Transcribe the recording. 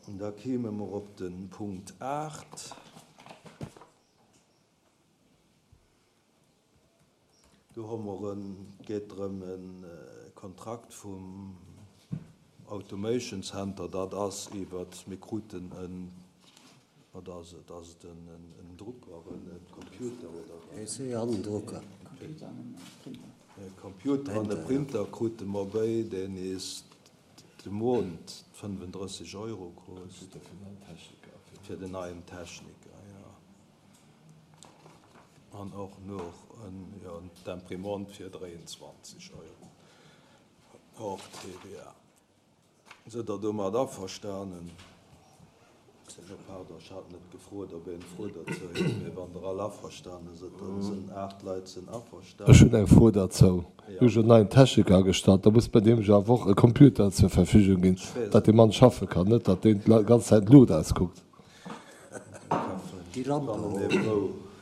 Da kéime mer op de Punkt 8. Do hu mer en, et geet drëm e Kontrakt vum Automation Center, dat ass iwwert, mir kruten en, wat ass et, ass et en Drucker, en Computer oder wat? PC an en Drucker. E Computer an e Printer krute mer béi, deen is de Mount 35 Euro kost. Fir den neien Techniker, jo. An och nach jo, d'Imprimante fir 23 Euro hors TVA. Sidd Der domat averstanen? Jo, pardon, ech hat net gefrot, ob een Fro dozou huet, mee wann Der all averstane sidd, dann sinn 8 Leit sinn averstanen. Ech hunn eng Fro derzou. Mir hu jo en neien Techniker agestallt, da muss mer deem jo awer och e Computer zur Verfügung ginn, datt dee Mann schaffe kann, net datt deen d'ganz Zäit d'Luucht auskuckt. Déi Lampe.